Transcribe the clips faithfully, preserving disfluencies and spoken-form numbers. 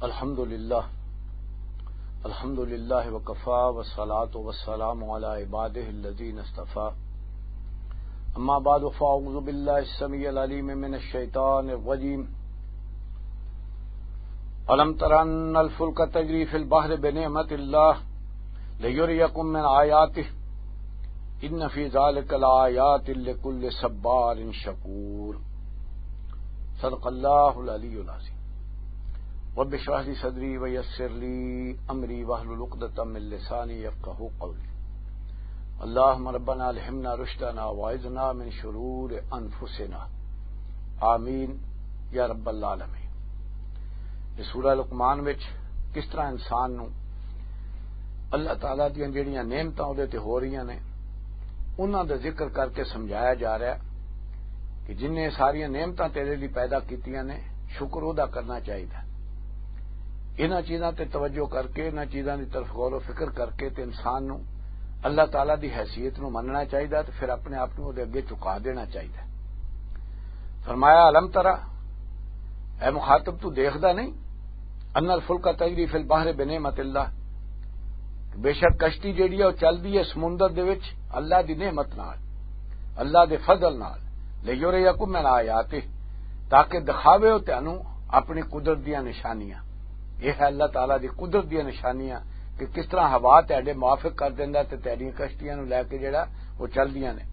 الحمد لله. الحمد لله وكفى، والصلاة والسلام على عباده الذين اصطفى. أما بعد، فأعوذ بالله السميع العليم من الشيطان الرجيم. ألم تر أن الفلك تجري في البحر بنعمة الله ليريكم من آياته إن في ذلك لآيات لكل صبار شكور. صدق الله العلي العظيم. رب اشرح لي صدري ويسر لي أمري واحلل عقدة من لساني يفقهوا قولي. اللهم ربنا ألهمنا رشدنا وأعذنا من شرور أنفسنا. آمین یا رب العالمین. اس سورہ لقمان وچ کس طرح انسان نو اللہ تعالیٰ دیاں جڑیاں نعمتاں اودے تے ہو رہیاں نے، انہاں دا ذکر کر کے سمجھایا جا رہا ہے کہ جن نے ساریاں نعمتاں تیرے لئی پیدا کیتیاں نے، شکر ادا کرنا چاہیدا ہے۔ انہاں چیزاں تے توجہ کر کے، انہاں چیزاں دی طرف غور و فکر کر کے تے انسان نو اللہ تعالیٰ دی حیثیت نو مننا چاہیدا ہے تے پھر اپنے آپ نو اودے اگے چکا دینا چاہیدا ہے۔ فرمایا، الم ترا، اے مخاطب، تو دیکھدا نہیں؟ ان الفلک تجری فی البحر بنعمت اللہ، بے شک کشتی جیڑی ہے وہ چلدی ہے سمندر دے وچ اللہ دی نعمت نال، اللہ دے فضل نال، لیریکم من آیاتہ، تاکہ دکھاوے ہو تینوں اپنی قدرت دیاں نشانیاں۔ یہ ہے اللہ تعالیٰ دی قدرت دیاں نشانیاں کہ کس طرح ہوا تہاڈے موافق کر دیندا تے تہاڈیاں کشتیاں نوں لے کے جڑا وہ چلدیاں نے۔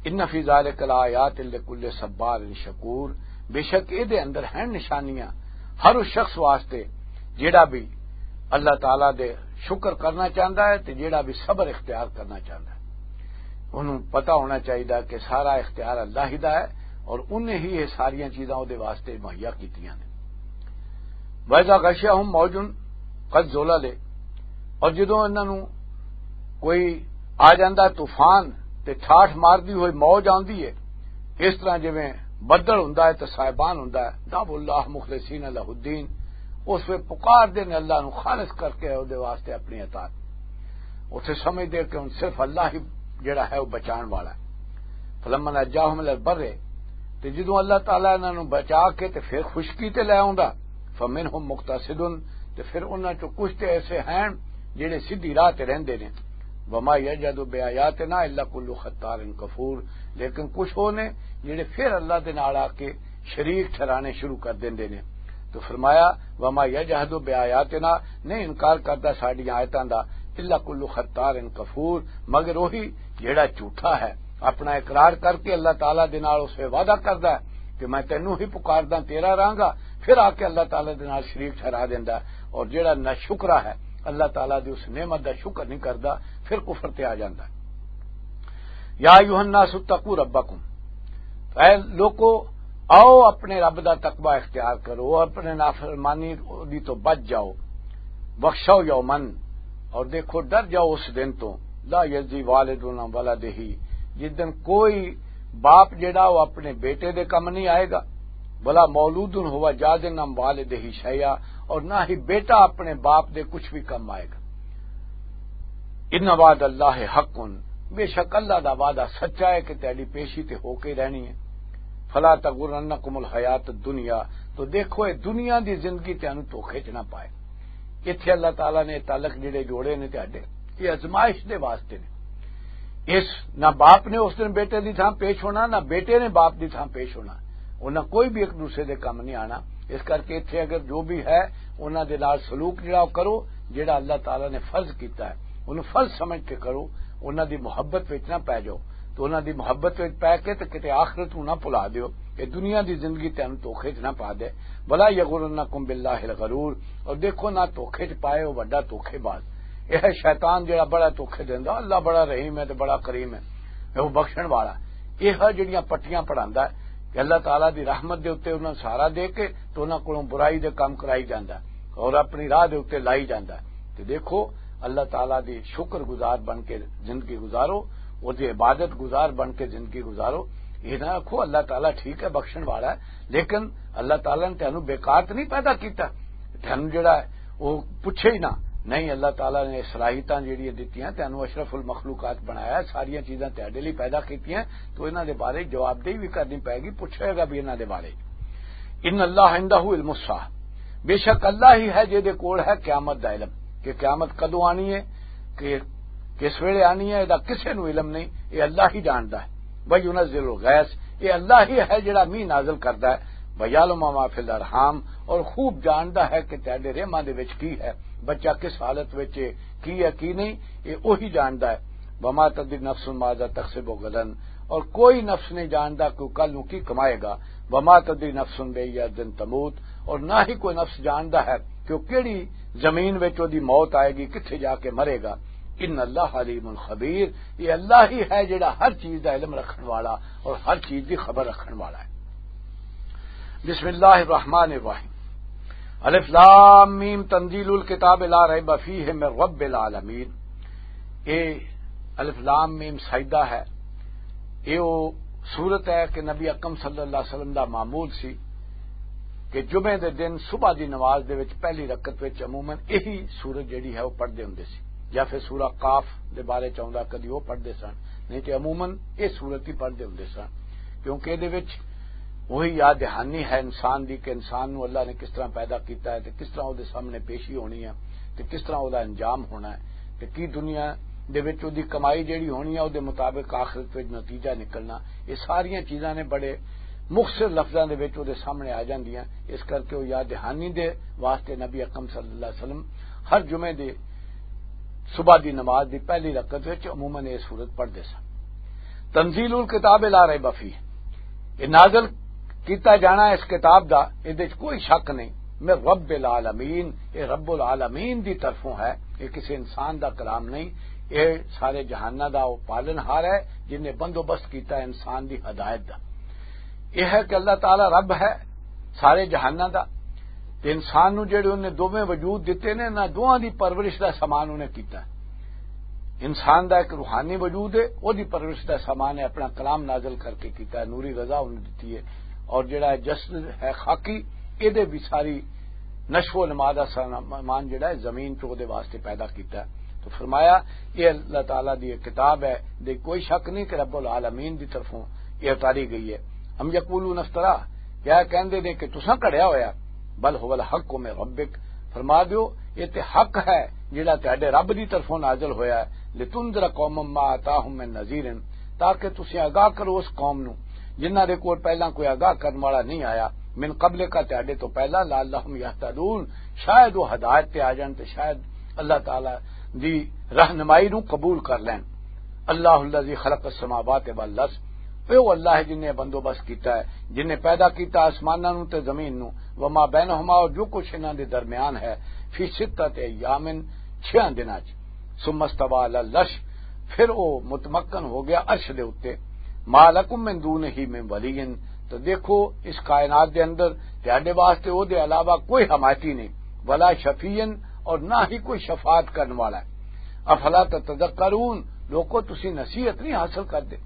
ان فی ذالک لآیات لکل صبار شکور، بے شک اے دے اندر ہیں نشانیاں ہر اس شخص واسطے جیڑا بھی اللہ تعالیٰ دے شکر کرنا چاہندا ہے تے جیڑا بھی صبر اختیار کرنا چاہندا ہے۔ انہوں پتہ ہونا چاہیدا کہ سارا اختیار اللہ ہی دا ہے اور انہیں ہی یہ ساریاں چیزاں اودے واسطے مہیا کیتیاں نے۔ وَإِذَا غَشِيَهُمْ مَوْجٌ كَالظُّلَلِ، اور جدوں انہاں نوں کوئی آ جاندا طوفان تے ٹھاٹھ ماردی ہوئی موج آندی ہے، اس طرح جویں بدل ہوندا ہے تے سائبان ہوندا ہے، دعوا اللہ مخلصین لہ الدین، اس وچ پکار دے نے اللہ نوں خالص کر کے اودے واسطے اپنی اطاعت۔ اتھے سمجھ دے کہ ہن صرف اللہ ہی جڑا ہے وہ بچان والا ہے۔ فلما نجاہم الی البر، تے جدوں اللہ تعالیٰ انہاں نوں بچا کے تے پھر خشکی تے لے آوندا، فمنہم مقتصد، تے پھر انہاں چوں کچھ تے ایسے ہیں جڑے سیدھی راہ تے رہندے نے۔ وما یجحد بآیاتنا الا کل ختار کفور، لیکن کچھ ہو نے جڑے پھر اللہ دے نال آ کے شریک ٹھہرانے شروع کر دیندے نے۔ تو فرمایا، وما یجحد بآیاتنا، نہیں انکار کردا ساڈیاں آیتاں دا، الا کل ختار کفور، مگر وہی جڑا جھوٹا ہے، اپنا اقرار کر کے اللہ تعالیٰ دے نال اس وے وعدہ کردا ہے کہ میں تینوں ہی پکاردا، تیرا رہاں گا، پھر آ کے اللہ تعالیٰ دے نال شریک ٹھہرا دیندا ہے۔ اور جڑا ناشکرا ہے، اللہ تعالیٰ دی اس نعمت دا شکر نہیں کردا، پھر کفر تے آ جاندا ہے۔ یا ایھا الناس اتقوا ربکم، اے لوکو، آؤ اپنے رب دا تقوی اختیار کرو، اپنے نافرمانی دی تو بچ جاؤ۔ بخشو یومن، اور دیکھو ڈر جاؤ اس دن تو، لا یجزی والد عن ولدہ، جس دن کوئی باپ جڑا وہ اپنے بیٹے دے کم نہیں آئے گا، ولا مولود ہوا جازن عن والدہ شیئا، اور نہ ہی بیٹا اپنے باپ دے کچھ بھی کم آئے گا۔ ان وعد اللہ حق، بے شک اللہ دا وعدہ سچا ہے کہ تیری پیشی تے ہو کے رہنی ہے۔ فلا تغرنکم الحیات الدنیا، تو دیکھو اے دنیا دی زندگی تینوں دھوکے چ نہ پائے۔ ایتھے اللہ تعالیٰ نے تعلق جڑے جوڑے نے تہاڈے، یہ آزمائش دے واسطے نے۔ اس نہ باپ نے اس دن بیٹے دی تھاں پیش ہونا، نہ بیٹے نے باپ دی تھاں پیش ہونا۔ انہاں کوئی بھی ایک دوسرے دے کم نہیں آنا۔ اس کر کے ایتھے اگر جو بھی ہے، انہاں دے نال سلوک جڑا کرو، جڑا اللہ تعالیٰ نے فرض کیتا ہے، انہوں فرض سمجھ کے کرو۔ انہاں دی محبت وچ نہ پے جاؤ، تو انہاں دی محبت وچ پے کے تے کتے آخرت نوں نہ بھلا دیو۔ اے دنیا دی زندگی تینوں دھوکے چ نہ پا دے۔ ولا یغرنکم باللہ الغرور، اور دیکھو نہ دھوکے چ پائے ہو وڈا دھوکے باز۔ اے ہے شیطان جڑا بڑا دھوکے دیندا، اللہ بڑا رحیم ہے تے بڑا کریم ہے، اے وہ بخشن والا۔ اے ہے جڑیاں پٹیاں پڑھاندا ہے کہ اللہ تعالیٰ دی رحمت دے اُتے انہاں نوں سہارا دے کے تے انہاں کولوں برائی دے کم کرائی جاندا ہے اور اپنی راہ دے اُتے لائی جاندا ہے۔ تے دیکھو، اللہ تعالیٰ دی شکر گزار بن کے زندگی گزارو، اور دی عبادت گزار بن کے زندگی گزارو۔ یہ نہ آکھو اللہ تعالیٰ ٹھیک ہے، بخشن والا ہے، لیکن اللہ تعالیٰ نے تینوں بیکار تے نہیں پیدا کیتا، تینوں جڑا ہے وہ پوچھے ہی نہ۔ نہیں، اللہ تعالیٰ نے صلاحیتاں جڑیاں دتیاں، تینوں اشرف المخلوقات بنایا، ساریاں چیزاں تیرے لیے پیدا کیتیاں، تو انہاں دے بارے جواب دہی بھی کرنی پائے گی، پوچھے گا بھی انہاں دے بارے۔ ان اللہ عندہ علم الساعہ، بے شک اللہ ہی ہے جہدے کول ہے قیامت دا علم، کہ قیامت کدوں آنی ہے، کہ کس ویلے آنی ہے، دا کسے نوں علم نہیں، یہ اللہ ہی جاندا ہے۔ وَيُنَزِّلُ الْغَيْثَ، یہ اللہ ہی ہے جڑا مینہ نازل کردا ہے۔ وَيَعْلَمُ مَا فِي الْأَرْحَامِ، اور خوب جاندا ہے کہ تہاڈے رحماں دے وچ کی ہے، بچہ کس حالت وچ ہے، کی ہے کی نہیں، یہ وہی جاندا ہے۔ وَمَا تَدْرِي نَفْسٌ مَاذَا تَكْسِبُ غَدًا، اور کوئی نفس نہیں جاندا کہ وہ کل نوں کی کمائے گا۔ وَمَا تَدْرِي نَفْسٌ بِأَيِّ أَرْضٍ تَمُوتُ، اور نہ ہی کوئی نفس جاندا ہے کہ وہ کیڑی زمین وچ وہ دی موت آئے گی، کتھے جا کے مرے گا۔ ان اللہ علیم خبیر، یہ اللہ ہی ہے جڑا ہر چیز دا علم رکھن والا اور ہر چیز دی خبر رکھن والا ہے۔ بسم اللہ الرحمن الرحیم۔ الف لام میم، تنزیل الکتاب لا ریب فیہ من رب العالمین۔ اے الف لام میم سجدہ ہے۔ اے او سورت ہے کہ نبی اکرم صلی اللہ علیہ وسلم دا معمول سی کہ جمعے دے دن صبح دی نماز دے وچ پہلی رکعت وچ عموماً یہی سورت جڑی ہے وہ پڑھدے ہوندے سی، یا پھر سورہ قاف دے بارے چ آوندا، کدی وہ پڑھدے سن، نہیں تے عموماً یہ سورت ہی پڑھدے ہوندے سن، کیونکہ دے وچ وہی یاد دہانی ہے انسان دی کہ انسان نو اللہ نے کس طرح پیدا کیتا ہے تے کس طرح او دے سامنے پیشی ہونی ہے تے کس طرح او دا انجام ہونا ہے تے کی دنیا دے وچ او دی کمائی جیڑی ہونی ہے، او دے مطابق آخرت وچ نتیجہ نکلنا۔ یہ ساریاں چیزاں نے بڑے مختصر لفظاں دے وچ او دے سامنے آ جاندیاں۔ اس کر کے او یاد دہانی دے واسطے نبی اکرم صلی اللہ علیہ وسلم ہر جمعے دے صبح دی نماز دی پہلی رکعت وچ عموماً یہ سورت پڑھدے سن۔ تنزیل الکتاب لا ریب فیہ، یہ نازل کیتا جانا اس کتاب دا، ادے وچ کوئی شک نہیں۔ من رب العالمین، یہ رب العالمین دی طرفوں ہے، یہ کسی انسان دا کلام نہیں۔ یہ سارے جہاناں دا وہ پالن ہار ہے جن نے بندوبست کیتا ہے انسان دی ہدایت دا۔ یہ ہے کہ اللہ تعالیٰ رب ہے سارے جہاناں دا، تے انسان نو جڑے انہیں دوویں وجود دتے نے، انہاں دوواں دی پرورش دا سامان انہیں کیتا ہے۔ انسان دا ایک روحانی وجود ہے، او دی پرورش دا سامان ہے، اپنا کلام نازل کر کے کیتا ہے، نوری رضا انہیں دتی ہے، اور جڑا ہے جسد ہے خاکی، اے دے بھی ساری نشو و نما دا سامان جڑا ہے زمین چ او دے واسطے پیدا کیتا ہے۔ تو فرمایا، یہ اللہ تعالیٰ دی ایک کتاب ہے، دے کوئی شک نہیں کہ رب العالمین دی طرفوں یہ اتاری گئی ہے۔ ہم یقولون افترا، کیا کہندے نے کہ تساں کڑیا ہویا؟ بل هو الحق من ربک، فرما دیو، یہ تے حق ہے جڑا تہاڈے رب دی طرفوں نازل ہویا ہے۔ لتنذر قوما ما اتاهم من نذیر، تاکہ تسیں آگاہ کرو اس قوم نو جنہاں دے کول پہلاں کوئی آگاہ کرن والا نہیں آیا، من قبل کا، تہاڈے تو پہلا، لعلهم یهتدون، شاید وہ ہدایت تے آ جان تے شاید اللہ تعالیٰ دی رہنمائی نو قبول کر لین۔ اللہ الذی خلق السماوات والارض، اے او اللہ ہے جن نے بندوبست کیتا ہے، جن نے پیدا کیتا آسماناں نو تے زمین نو، وما بینہما، اور جو کچھ انہاں دے درمیان ہے، فی ستۃ ایام، چھیاں دناں چ، ثم استوی علی العرش، پھر او متمکن ہو گیا عرش دے اُتے، ما لکم من دونہ من ولی، تو دیکھو اس کائنات دے اندر تہاڈے واسطے او دے علاوہ کوئی حمایتی نہیں، ولا شفیع، اور نہ ہی کوئی شفاعت کرن والا ہے۔ افلا تتذکرون، لوکو تسی نصیحت نہیں حاصل کردے؟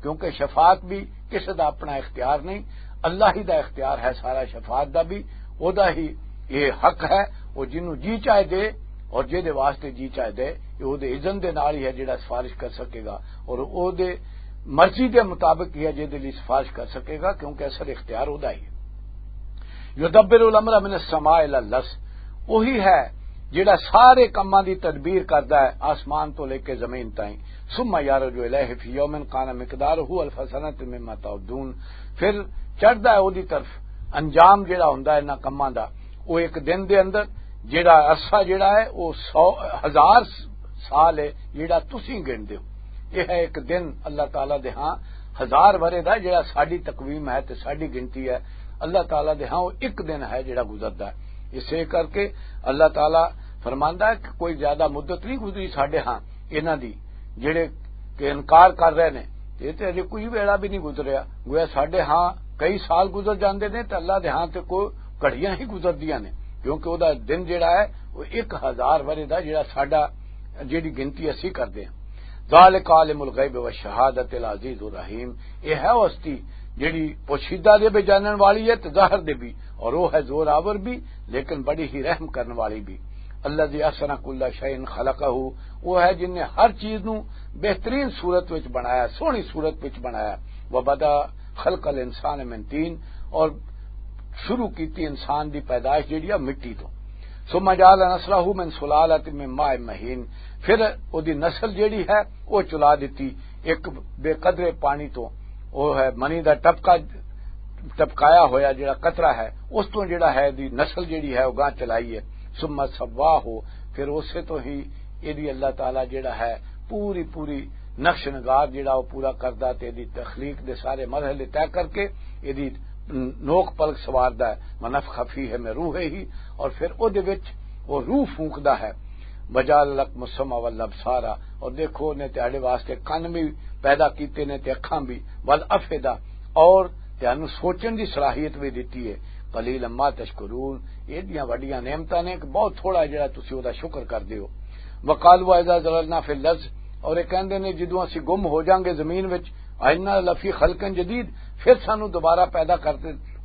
کیونکہ شفاعت بھی کسے دا اپنا اختیار نہیں، اللہ ہی دا اختیار ہے سارا شفاعت دا بھی، او دا ہی یہ حق ہے، او جنوں جی چاہے دے اور جے دے واسطے جی چاہے دے، یہ او دے اذن دے نال ہی ہے جڑا سفارش کر سکے گا، اور او دے مرضی دے مطابق ہی ہے جے دے لئی سفارش کر سکے گا، کیونکہ اصل اختیار او دا ہی ہے۔ یدبر الامر من السماء الی الارض، وہی ہے جڑا سارے کماں دی تدبیر کردا ہے آسمان تو لے کے زمین تائیں۔ ثم یعرج الیہ فی یوم کان مقدارہ الف سنۃ مما تعدون، پھر چڑھدا ہے اودی طرف، انجام جڑا ہوندا ہے انہاں کماں دا، وہ ایک دن دے اندر جڑا عرصہ جڑا ہے وہ سو، ہزار سال ہے جڑا تسی گن دیو۔ یہ ہے ایک دن اللہ تعالیٰ دے ہاں ہزار ورے دا، جڑا ساڈی تقویم ہے تے ساڈی گنتی ہے، اللہ تعالیٰ دے ہاں وہ ایک دن ہے جڑا گزردا ہے۔ اسے کر کے اللہ تعالیٰ فرماندا ہے کہ کوئی زیادہ مدت نہیں گزری ساڈے ہاں انہاں دی، جڑے کہ انکار کر رہے نے، تے تے اجے کوئی ویلا بھی نہیں گزریا۔ گویا ساڈے ہاں کئی سال گزر جاندے نے تے اللہ دے ہاں تے کوئی گھڑیاں ہی گزردیاں نے، کیونکہ او دا دن جڑا ہے وہ ایک ہزار ورے دا، جڑا ساڈا، جڑی گنتی اسی کردے ہاں۔ ذالک عالم الغیب والشہادۃ العزیز الرحیم، یہ ہے ہستی جڑی پوشیدہ دے بھی جانن والی ہے تے ظاہر دے بھی، اور وہ ہے زور آور بھی، لیکن بڑی ہی رحم کرن والی بھی۔ الذی احسن کل شیء خلقہ، وہ ہے جن نے ہر چیز نو بہترین صورت وچ بنایا، سوہنی صورت وچ بنایا۔ وبدأ خلق الانسان من طین، اور شروع کیتی انسان دی پیدائش جیڑی آ مٹی تو۔ ثم جعل نسلہ من سلالۃ من ماء مہین، پھر او دی نسل جیڑی ہے او چلا دتی ایک بے قدرے پانی تو، او ہے منی دا ٹپکا، ٹپکایا ہویا جیڑا قطرہ ہے، اس تو جیڑا ہے دی نسل جیڑی ہے او گاں چلائی ہے۔ ثم سواہ، پھر اسے تو ہی ایدی اللہ تعالیٰ جیڑا ہے پوری پوری نقش نگار جیڑا او پورا کردا تے ایدی تخلیق دے سارے مرحلے طے کر کے ایدی نوک پلک سواردا ہے۔ ونفخ فیہ من روحہ، اور پھر او دے وچ او روح پھونکدا ہے۔ وجعل لکم السمع والابصار، اور دیکھو نے تہاڈے واسطے کن بھی پیدا کیتے نے تے اکھاں بھی، والافئدہ، اور تہانوں سوچن دی صلاحیت بھی دتی ہے۔ قلیلا ما تشکرون، ایڈیاں وڈیاں نعمتاں نے کہ بہت تھوڑا جڑا تسی او دا شکر کردے ہو۔ وقالوا اذا ضللنا فی الارض، اور یہ کہندے نے جدوں اسی گم ہو جاؤں گے زمین وچ، ائنا لفی خلق جدید، پھر سانو دوبارہ پیدا کر،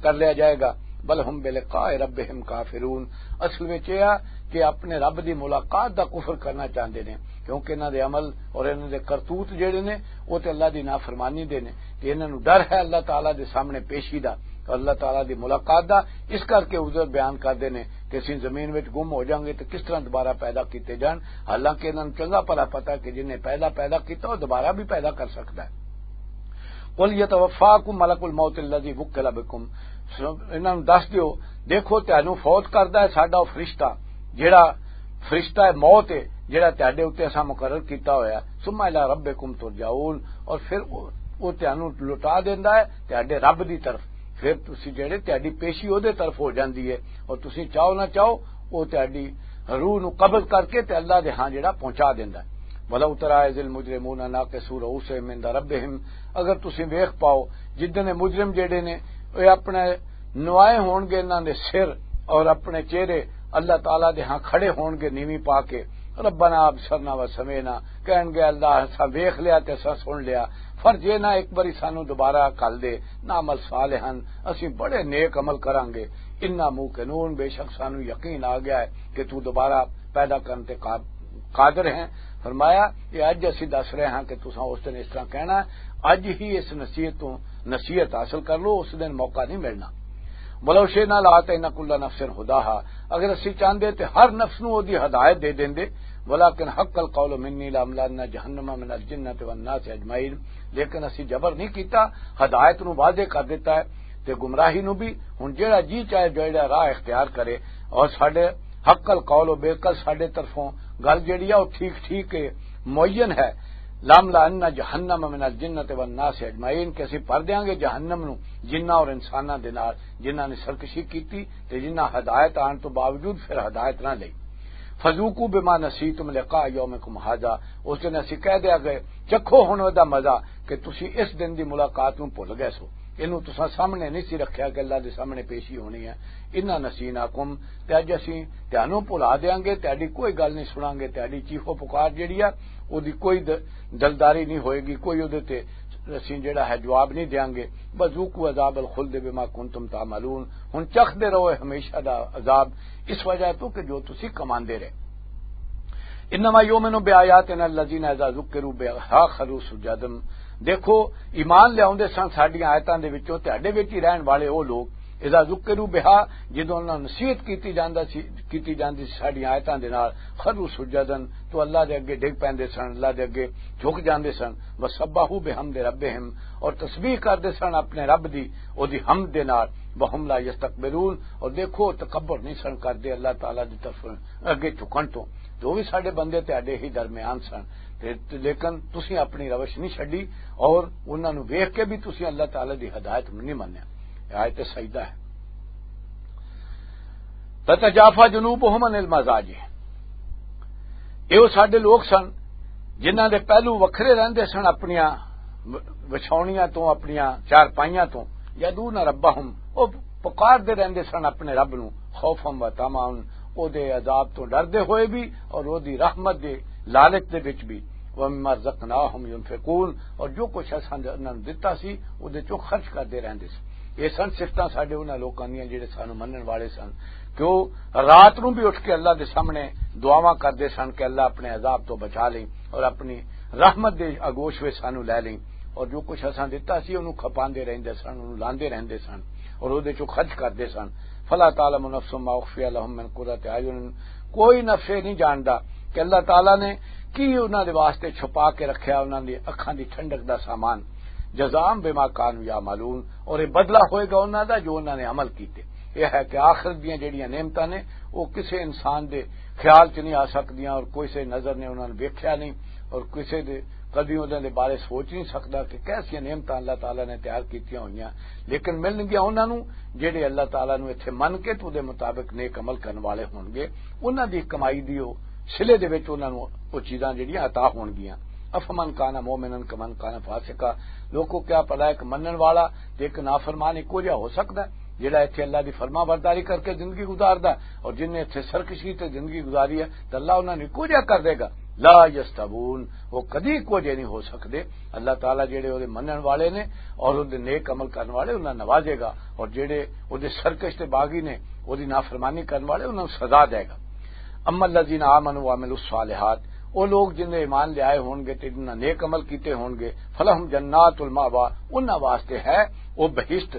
کر لیا جائے گا۔ بل ہم بلقاء ربہم کافرون، اصل وچ یہ آ کہ اپنے رب دی ملاقات دا کفر کرنا چاہندے نے، کیونکہ انہاں دے عمل اور انہاں دے کرتوت جڑے نے وہ تے اللہ دی نافرمانی دے نے، کہ انہاں نوں ڈر ہے اللہ تعالیٰ دے سامنے پیشی دا اور اللہ تعالیٰ دی ملاقات دا، اس کر کے عذر بیان کردے نے کہ اسی زمین وچ گم ہو جاؤں گے تو کس طرح دوبارہ پیدا کیتے جان، حالانکہ انہاں نوں چنگا بھلا پتہ کہ جن نے پہلا پیدا کیتا وہ دوبارہ بھی پیدا کر سکدا ہے۔ قل یتوفاکم ملک الموت الذی وکل بکم، انہاں نوں دس دیو، دیکھو تانوں فوت کردا ہے ساڈا او فرشتہ، جیڑا فرشتہ ہے موت ہے، جیڑا تہاڈے اُتے اساں مقرر کیتا ہویا۔ ثم الی ربکم ترجعون، اور پھر او، او تہانوں لوٹا دیندا ہے تہاڈے رب دی طرف۔ پھر تسی جیڑے تہاڈی پیشی او دے طرف ہو جاندی ہے، اور تسی چاہو نہ چاہو او تہاڈی روح نوں قبض کر کے تے اللہ دے ہاں جیڑا پہنچا دیندا ہے۔ ولو تری اذ المجرمون ناکسوا رؤوسہم عند ربہم، اگر تسی ویکھ پاؤ جدن مجرم جیڑے نے اے اپنے نوائے ہون گے انہاں دے سر اور اپنے چہرے اللہ تعالیٰ دے ہاں کھڑے ہون گے نیوی پا کے، ربنا ابصرنا و سمعنا، کہن گے اللہ اساں ویکھ لیا تے اساں سن لیا، فرجعنا ایک باری سانو دوبارہ کل دے، نعمل صالحا، اسی بڑے نیک عمل کران گے، انا موقنون، بے شک سانو یقین آ گیا ہے کہ تو دوبارہ پیدا کرن تے قاب-، قادر ہیں۔ فرمایا کہ اج اسی دس رہے ہاں کہ تساں اس دن اس طرح کہنا ہے، اج ہی اس نصیحت تو نصیحت حاصل کر لو، اس دن موقع نہیں ملنا۔ ولو شئنا لآتینا کل نفس ہداہا، اگر اسی چاہندے تے ہر نفس نو اودی ہدایت دے دیندے، ولکن حق القول منی لاملأن جہنم من الجنۃ والناس اجمعین، لیکن اسی جبر نہیں کیتا، ہدایت نو واضح کر دیتا ہے تے گمراہی نو بھی۔ ہن جیڑا جی چاہے جیڑا راہ اختیار کرے، اور ساڈے حق القول و بے کل ساڈے طرفوں گل جیڑی ہے وہ ٹھیک ٹھیک ہے، معین ہے۔ لاملأن جہنم من الجنۃ والناس اجمعین، کہ اسی بھر دیاں گے جہنم نو جناں اور انساناں دے نال، جناں نے سرکشی کیتی تے جناں ہدایت آن تو باوجود پھر ہدایت نہ لئی۔ فذوقوا بما نسیتم لقاء یومکم ھذا، اس دن اسی کہہ دیا گئے، چکھو ہن دا مزہ کہ تسی اس دن دی ملاقات نوں بھل گئے سو، اینوں تساں سامنے نہیں سی رکھیا کہ اللہ دے سامنے پیشی ہونی ہے۔ انا نسیناکم، تے اج اسی تانوں بھلا دیاں گے، تہاڈی کوئی گل نہیں سناں گے، تہاڈی چیخو پکار جیڑی ہے، اودی کوئی د-، دلداری نہیں ہوئے گی، کوئی اودے تے اسی جیڑا ہے جواب نہیں دیاں گے۔ وذوقوا عذاب الخلد بما کنتم تعملون، ہن چکھدے رہو ہمیشہ دا عذاب، اس وجہ تو کہ جو تسی کماندے رہے۔ انما یؤمن بآیاتنا الذین اذا ذکروا بها خروا سجدا، دیکھو، ایمان لیاوندے سن ساڈیاں آیتاں دے وچوں، تہاڈے وچ ہی رہن والے او لوگ، اذا ذکروا بها، جدوں انہاں نصیحت کیتی جاندا سی، کیتی جاندی سی ساڈیاں آیتاں دے نال، خروا سجدا، تو اللہ دے اگے ڈگ پیندے سن، اللہ دے اگے جھک جاندے سن۔ وسبحوا بحمد ربہم، اور تسبیح کردے سن اپنے رب دی، او دی حمد دے نال۔ وہم لا یستکبرون، اور دیکھو، تکبر نہیں سن کردے اللہ تعالیٰ دی طرف اگے جھکن تو۔ جو بھی ساڈے بندے تہاڈے ہی درمیان سن، تے، تے لیکن تسی اپنی روش نہیں چھڈی اور انہاں نوں ویکھ کے بھی تسی اللہ تعالیٰ دی ہدایت نوں نہیں منیا۔ یہ آیت سجدہ ہے۔ تتجافا جنوبہم عن المضاجع، یہ وہ ساڈے لوگ سن جنہاں دے پہلو وکھرے رہندے سن اپنیاں وچھاونیاں تو، اپنیاں چارپائیاں تو۔ یدعون ربہم، وہ پکار دے رہندے سن اپنے رب نو، خوفا و طمعا، او دے عذاب تو ڈردے ہوئے بھی اور او دی رحمت دے لالچ دے وچ بھی۔ ومما رزقناہم ینفقون، اور جو کچھ اساں نے انہاں نوں دتا سی، او دے چوں خرچ کردے رہندے سی۔ یہ سن صفتاں ساڈے انہاں لوکاں دیاں جڑے سانوں منن والے سن، کہ او رات نوں بھی اٹھ کے اللہ دے سامنے دعاواں کردے سن کہ اللہ اپنے عذاب تو بچا لیں اور اپنی رحمت دے آگوش وچ سانوں لے لیں، اور جو کچھ اساں دتا سی، انہوں کھپاندے رہندے سن، انہوں لاندے رہندے سن۔ اور اودے چوں خرچ کردے سن۔ فلا تعلم نفس ما اخفی لهم من قرۃ اعین، کوئی نفس یہ نہیں جاندا کہ اللہ تعالیٰ نے کی انہاں دے واسطے چھپا کے رکھیا انہاں دی اکھاں دی ٹھنڈک دا سامان، جزاء بما کانوا یعملون، اور یہ بدلہ ہوئے گا انہاں دا جو انہاں نے عمل کیتے۔ یہ ہے کہ آخرت دیاں جڑیاں نعمتاں نے، وہ کسے انسان دے خیال چ نہیں آ سکدیاں، اور کوئی سے نظر نے انہاں نے ویکھیا نہیں، اور کسے دے کدی انہاں دے بارے سوچ نہیں سکدا کہ کیسیاں نعمتاں اللہ تعالیٰ نے تیار کیتیاں ہوئیاں، لیکن ملن گیا انہاں نوں جڑے اللہ تعالیٰ نوں اتھے من کے تو دے مطابق نیک عمل کرن والے ہون گے، انہاں دی کمائی دی او صلے دے وچ انہاں نوں او چیزاں جڑیاں عطا ہون گیاں۔ افمن کان مومنا کمن کان فاسقا، لوکو کیا پلا ایک منن والا تے ایک نافرمان ایکو جہا ہو سکدا ہے؟ جڑا اتھے اللہ دی فرما برداری کر کے زندگی گزاردا ہے اور جن نے اتھے سرکشی تے زندگی گزاری ہے، تے اللہ انہاں نوں ایکو جہا کر دے گا؟ لا یستوون، وہ کدی ایکو جہے نہیں ہو سکدے۔ اللہ تعالیٰ جڑے اودے منن والے نے اور اودے نیک عمل کرن والے، انہاں نوازے گا، اور جڑے اودے سرکش تے باغی نے، اودی نافرمانی کرن والے، انہاں نوں سزا دے گا۔ اما الذین آمنوا وعملوا الصالحات، وہ لوگ جن نے ایمان لے آئے ہون گے تے جنہاں نیک عمل کیتے ہون گے، فلہم جنات المأوا، انہاں واسطے ہے وہ بہشت،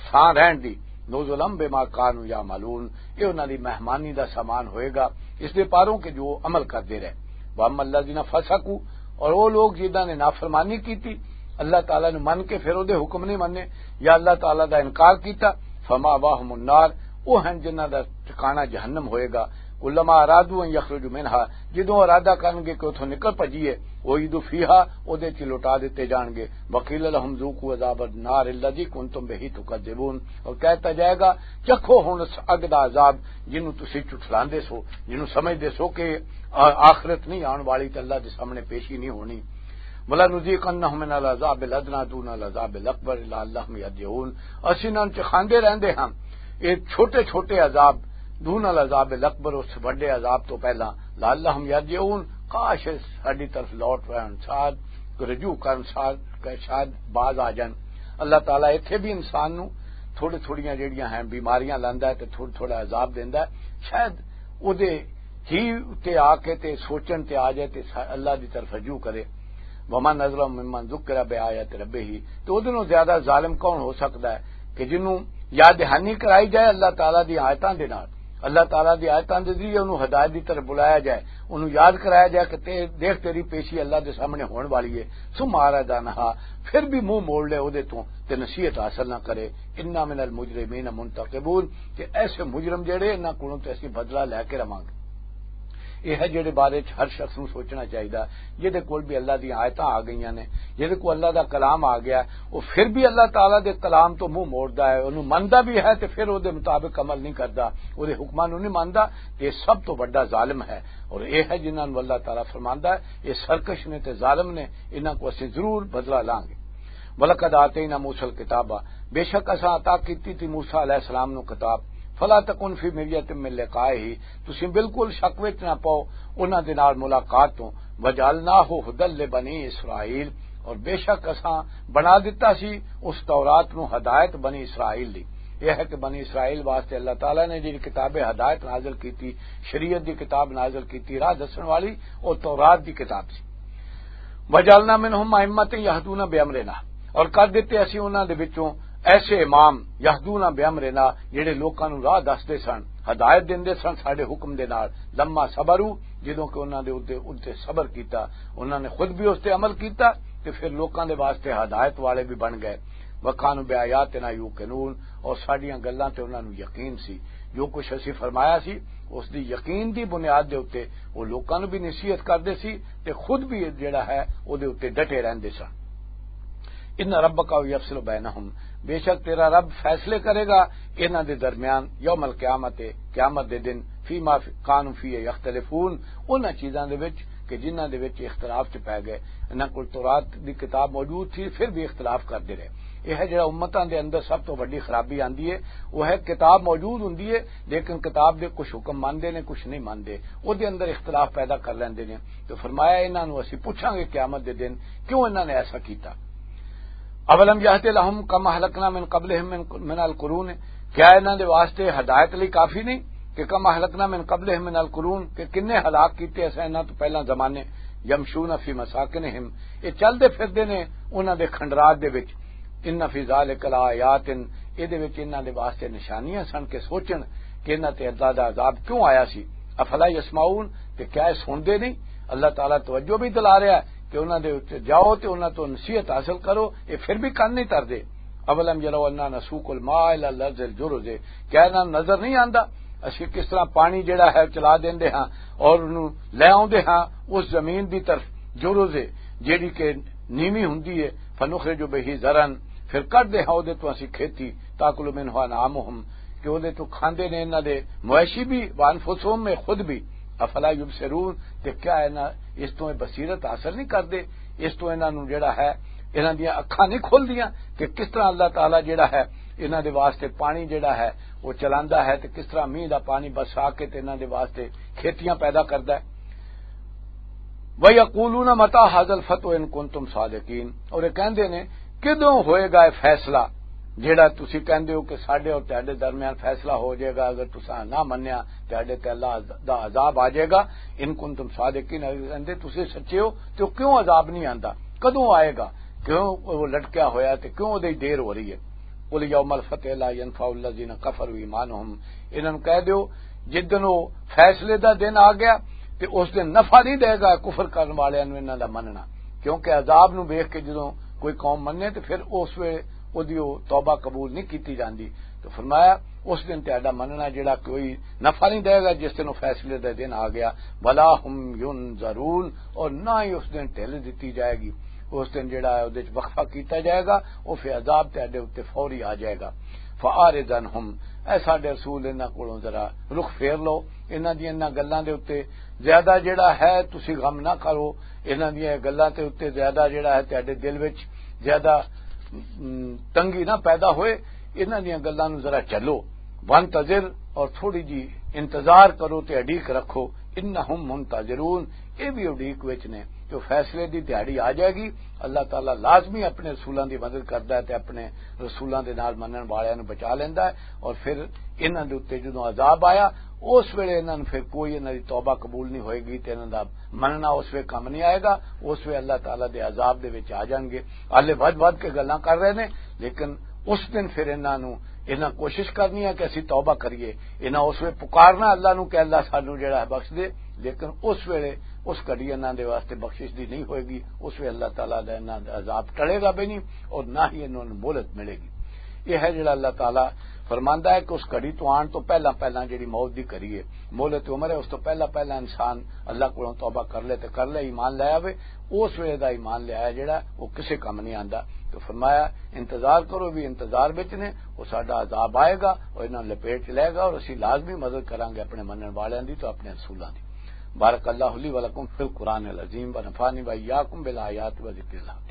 تھاں رہن دی، نزلا بما کانوا یعملون، یہ انہاں دی مہمانی دا سامان ہوئے گا، اس دے پاروں کہ جو عمل کردے رہے۔ واما الذین فسقوا، اور وہ لوگ جنہاں نے نافرمانی کیتی، اللہ تعالیٰ نے من کے پھر وہ دے حکم نہیں مننے، یا اللہ تعالیٰ دا انکار کیتا، فمأواہم النار، وہ ہیں جنہاں دا ٹھکانہ جہنم ہوئے گا۔ کلما ارادوا ان یخرجوا منہا، جدوں ارادہ کرن گے کہ اتھوں نکل پجیے، اعیدوا فیہا، اودے چ لوٹا دتے جان گے۔ وقیل لهم ذوقوا عذاب النار الذی کنتم بہ تکذبون، اور کہتا جائے گا، چکھو ہن اس اگ دا عذاب جنوں تسی چٹھلاندے سو، جنوں سمجھدے سو کہ آ-، آخرت نہیں آن والی تے اللہ دے سامنے پیشی نہیں ہونی۔ ولنذیقنهم من العذاب الادنی دون العذاب الاکبر لعلهم یرجعون، اسی انہاں نوں چکھاندے رہندے ہاں یہ چھوٹے چھوٹے عذاب، دون العذاب الاکبر، اس وڈے عذاب تو پہلا، لعلهم یرجعون، کاش ساڈی طرف لوٹ رہن، شاید رجوع کرن، شاید، شاید باز آ جان۔ اللہ تعالیٰ ایتھے بھی انسان نوں تھوڑے تھوڑیاں جڑیاں ہیں بیماریاں لاندا ہے تے تھوڑا تھوڑا عذاب دیندا ہے، شاید اودے ہی تے آ کے تے سوچن تے آ جائے تے سا-، اللہ دی طرف رجوع کرے۔ ومن اظلم ممن ذکر بآیات ربہ، تو اودے نوں زیادہ ظالم کون ہو سکدا ہے کہ جنوں یاد دہانی کرائی جائے اللہ تعالیٰ دی آیتاں دے نال، اللہ تعالیٰ دی آیتاں دے ذریعے انہوں ہدایت دی طرف بلایا جائے، انہوں یاد کرایا جائے کہ تے-، دیکھ تیری پیشی اللہ دے سامنے ہون والی ہے۔ ثم اعرض عنہا، پھر بھی منہ موڑ لے اودے تو تے نصیحت حاصل نہ کرے۔ انا من المجرمین منتقمون، تے ایسے مجرم جڑے انہاں کولوں تے اسی بدلہ لے کے رواں گے۔ یہ ہے جڑے بارے چ ہر شخص نوں سوچنا چاہیدا، جہدے کول بھی اللہ دی آیتاں آ گئیاں نے، جہدے کول اللہ دا کلام آ گیا، وہ پھر بھی اللہ تعالیٰ دے کلام تو منہ موڑدا ہے، انہوں مندا بھی ہے تے پھر وہ دے مطابق عمل نہیں کردا، وہ دے حکماں نوں نہیں مندا، یہ سب تو بڑا ظالم ہے۔ اور یہ ہے جنہاں نوں اللہ تعالیٰ فرماندا ہے، یہ سرکش نے تے ظالم نے، انہاں کو اسی ضرور بدلہ لانگے۔ وَلَقَدْ آتَيْنَا مُوسَى الْكِتَابَ، بے شک اساں عطا کیتی تھی موسیٰ علیہ السلام نو کتاب۔ فَلَا تَكُنْ فِي مِرْيَةٍ مِّن لِقَائِهِ، تسی بالکل شک وچ نہ پاؤ انہاں دے نال ملاقات تو۔ وَجَعَلْنَاهُ هُدًى لِبَنِي إِسْرَائِيلَ، اور بے شک اساں بنا دتا سی اس تورات نو ہدایت بنی اسرائیل دی۔ یہ ہے کہ بنی اسرائیل واسطے اللہ تعالیٰ نے جڑی کتاب ہدایت نازل کیتی، شریعت دی کتاب نازل کیتی، راہ دسن والی، او تورات دی کتاب سی۔ وَجَعَلْنَا مِنْهُمْ أَئِمَّةً يَهْدُونَ بِأَمْرِنَا، اور کر دتے اسی انہاں دے وچوں ایسے امام، يَهْدُونَ بِأَمْرِنَا، جڑے لوکاں نوں راہ دسدے سن، ہدایت دیندے سن ساڈے حکم دے نال، لَمَّا صَبَرُوا، جدوں کہ انہاں دے اُتے، اُتے صبر کیتا، انہاں نے خود بھی اس تے عمل کیتا تے پھر لوکاں دے واسطے ہدایت والے بھی بن گئے۔ وَكَانُوا بِآيَاتِنَا يُوقِنُونَ، اور ساڈیاں گلاں تے انہاں نوں یقین سی، جو کچھ اسی فرمایا سی، اس دی یقین دی بنیاد دے اُتے وہ لوکاں نوں بھی نصیحت کردے سی تے خود بھی جڑا ہے، او دے اُتے ڈٹے رہندے سن۔ ان ربک یفصل بینہم، بے شک تیرا رب فیصلے کرے گا انہاں دے درمیان، یوم القیامت، قیامت دے دن، فیما کانوا فیہ یختلفون، انہاں چیزاں دے وچ کہ جنہاں دے وچ اختلاف چ پے گئے۔ انہاں کول تورات دی کتاب موجود تھی، پھر بھی اختلاف کردے رہے۔ یہ ہے جڑا امتاں دے اندر سب تو وڈی خرابی آندی ہے، وہ ہے کتاب موجود ہوندی ہے، لیکن کتاب دے کچھ حکم مندے نے، کچھ نہیں مندے، او دے اندر اختلاف پیدا کر لیندے نے۔ تو فرمایا، انہاں نوں اسی پوچھاں گے قیامت دے دن، کیوں انہاں نے ایسا کیتا؟ اولم یہد لہم کم اہلکنا من قبلہم من، من القرون، کیا انہاں دے واسطے ہدایت لئی کافی نہیں کہ کم اہلکنا من قبلہم من القرون، کہ کنے ہلاک کیتے اساں انہاں تو پہلاں زمانے، یمشون فی مساکنہم، یہ چلدے پھردے نے انہاں دے کھنڈرات دے وچ، ان فی ذالک لآیات، اے دے وچ انہاں دے واسطے نشانیاں سن کہ سوچن کہ انہاں تے اللہ دا عذاب کیوں آیا سی۔ افلا یسمعون، تے کیا اے سنتے نہیں؟ اللہ تعالیٰ توجہ بھی دلا رہا ہے کہ انہاں دے اُتے جاؤ تے انہاں تو نصیحت حاصل کرو، اے پھر بھی کن نہیں تردے۔ اولم یروا انا نسوق الماء الی الارض الجرز، کیا انہاں نوں نظر نہیں آندا؟ اسی کس طرح پانی جڑا ہے چلا دیندے ہاں اور انہوں لے آوندے ہاں اس زمین دی طرف، جرز ہے، جیڑی کہ نیوی ہوندی ہے، فنخرج بہ زرعا، پھر کڈ دے ہاں اودے تو اسی کھیتی، تاکل منہ انعامہم، کہ اودے تو کھاندے نے انہاں دے مویشی بھی، وانفسہم، میں خود بھی۔ افلا یبصرون، تے کیا انہاں اس تو بصیرت حاصل نہیں کردے؟ اس تو انہاں نوں جڑا ہے، انہاں دیاں اکھاں نہیں کھلدیاں کہ کس طرح اللہ تعالیٰ جڑا ہے انہاں دے واسطے پانی جڑا ہے وہ چلاندا ہے، تے کس طرح مینہ دا پانی برسا کے تے انہاں دے واسطے کھیتیاں پیدا کردا ہے۔ وَيَقُولُونَ مَتَىٰ هَٰذَا الْفَتْحُ إِن كُنتُمْ صَادِقِينَ، اور یہ کہندے نے، کدوں ہوئے گا یہ فیصلہ؟ جیڑا تسی کہندے ہو کہ ساڈے اور تہاڈے درمیان فیصلہ ہو جائے گا، اگر تساں نہ منیا، تہاڈے تے اللہ عذ-، دا عذاب آ جائے گا۔ ان کنتم صادقین، اگر کہندے تسی سچے ہو، تے او کیوں عذاب نہیں آندا؟ کدوں آئے گا؟ کیوں وہ لٹکیا ہویا تے کیوں اودے دیر ہو رہی ہے؟ قل یوم الفتح لا ینفع الذین کفروا ایمانہم، انہاں نوں کہہ دیو، جس دن وہ فیصلے دا دن آ گیا، تے اس دن نفع نہیں دے گا کفر کرن والےاں نوں انہاں دا مننا، کیونکہ عذاب نوں ویکھ کے جدوں کوئی قوم مننے تے پھر اس ویلے اودی او توبہ قبول نہیں کیتی جاندی۔ تو فرمایا، اس دن تہاڈا مننا جڑا کوئی نفع نہیں دے گا، جس دن وہ فیصلے دا دن آ گیا۔ ولا هم ينظرون، اور نہ ہی اس دن ڈھل دتی جائے گی۔ اس دن جڑا ہے، اودے وچ وقفہ کیتا جائے گا، وہ پھر عذاب تہاڈے اُتے فوری آ جائے گا۔ فاعرض عنهم، اے ساڈے رسول، انہاں کولوں ذرا رخ پھیر لو، انہاں دی انہاں گلاں دے اُتے زیادہ جڑا ہے تسی غم نہ کرو، انہاں دی گلاں دے اُتے زیادہ جڑا ہے تہاڈے دل وچ زیادہ، ام، تنگی نہ پیدا ہوئے، انہاں دی گلاں نوں ذرا چلو۔ وانتظر، اور تھوڑی جی انتظار کرو تے اڈیک رکھو۔ انہم منتظرون، اے بھی اڈیک وچ نے۔ جو فیصلے دی دیہاڑی آ جائے گی، اللہ تعالیٰ لازمی اپنے رسولاں دی مدد کردا ہے تے اپنے رسولاں دے نال منن والیاں نوں بچا لیندا ہے۔ اور پھر انہاں دے اُتے جدوں عذاب آیا، اس ویلے انہاں نوں پھر کوئی انہاں دی توبہ قبول نہیں ہوئے گی تے انہاں دا مننا اس ویلے کم نہیں آئے گا۔ اس ویلے اللہ تعالیٰ دے عذاب دے وچ آ جان گے۔ حالے ودھ ودھ کے گلاں کر رہے نے، لیکن اس دن پھر انہاں نوں، انہاں کوشش کرنی ہے کہ اسی توبہ کریے۔ انہاں اس ویلے پکارنا اللہ نوں کہ اللہ سانوں جڑا ہے بخش دے، لیکن اس ویلے، اس گھڑی انہاں دے واسطے بخشش دی نہیں ہوئے گی۔ اس ویلے اللہ تعالیٰ دا انہاں دا عذاب ٹلے گا بھی نہیں اور نہ ہی انہاں نوں مہلت ملے گی۔ یہ ہے جڑا اللہ تعالیٰ فرماندا ہے کہ اس گھڑی تو آن تو پہلا پہلا جڑی موت دی گھڑی ہے، مہلت عمر ہے، اس تو پہلا پہلا انسان اللہ کولوں توبہ کر لے تے کر لے، ایمان لے آوے، اس ویلے دا ایمان لے آیا جڑا، وہ کسے کم نہیں آندا۔ تو فرمایا، انتظار کرو، بھی انتظار وچ نے، وہ ساڈا عذاب آئے گا اور انہاں نوں لپیٹ لے گا اور اسی لازمی مدد کراں گے اپنے منن والیاں دی تو اپنے رسولاں دی۔ بارک اللہ لی ولکم فی القرآن العظیم و نفعنی و ایاکم بالآیات و ذکر الحکیم۔